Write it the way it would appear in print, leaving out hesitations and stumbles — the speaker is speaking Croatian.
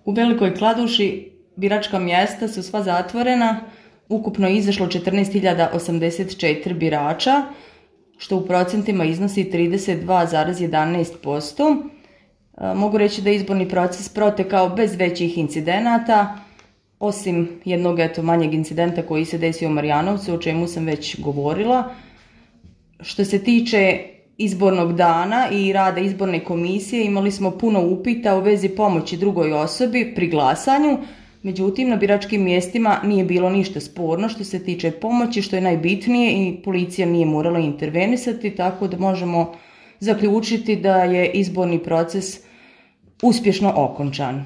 U Velikoj Kladuši biračka mjesta su sva zatvorena, ukupno je izašlo 14.084 birača, što u procentima iznosi 32,11%. Mogu reći da je izborni proces protekao bez većih incidenata, osim jednog manjeg incidenta koji se desio u Marjanovcu, o čemu sam već govorila. Što se tiče izbornog dana i rada izborne komisije, imali smo puno upita u vezi pomoći drugoj osobi pri glasanju, međutim na biračkim mjestima nije bilo ništa sporno što se tiče pomoći, što je najbitnije, i policija nije morala intervenisati, tako da možemo zaključiti da je izborni proces uspješno okončan.